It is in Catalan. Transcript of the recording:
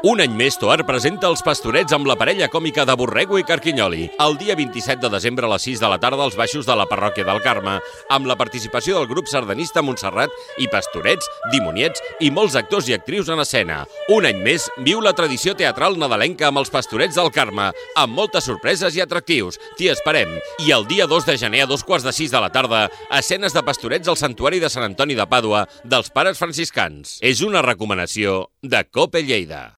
Un any més, Toar presenta Els Pastorets amb la parella còmica de Borrego i Carquinyoli. El dia 27 de desembre a les 6 de la tarda als baixos de la parròquia del Carme, amb la participació del grup sardanista Montserrat i Pastorets, Dimoniets i molts actors i actrius en escena. Un any més, viu la tradició teatral nadalenca amb els Pastorets del Carme, amb moltes sorpreses i atractius. T'hi esperem. I el dia 2 de gener a 2:45 de la tarda, escenes de Pastorets al Santuari de Sant Antoni de Pàdua dels Pares Franciscans. És una recomanació de COPE Lleida.